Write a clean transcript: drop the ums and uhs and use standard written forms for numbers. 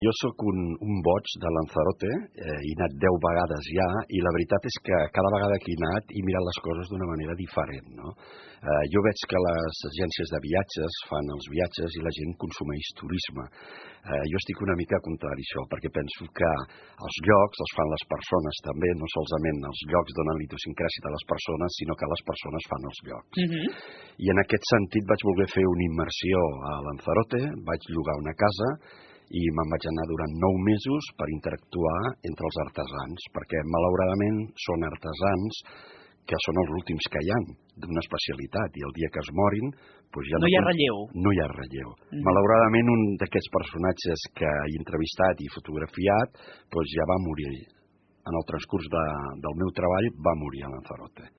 Jo sóc un boig de Lanzarote, he anat 10 vegades ja, i la veritat és que cada vegada que he anat he mirat les coses d'una manera diferent, no? Jo veig que les agències de viatges fan els viatges i la gent consumeix turisme. Jo estic una mica contrari a això, perquè penso que els llocs els fan les persones també, no solament els llocs donen l'idiosincràsia de les persones, sinó que les persones fan els llocs. I en aquest sentit vaig voler fer una immersió a Lanzarote, vaig llogar una casa, i me'n vaig anar durant 9 mesos per interactuar entre els artesans, perquè malauradament són artesans que són els últims que hi ha d'una especialitat, i el dia que es morin doncs ja no hi ha relleu. No hi ha relleu. Malauradament un d'aquests personatges que he entrevistat i fotografiat doncs ja va morir. En el transcurs del meu treball va morir a Lanzarote.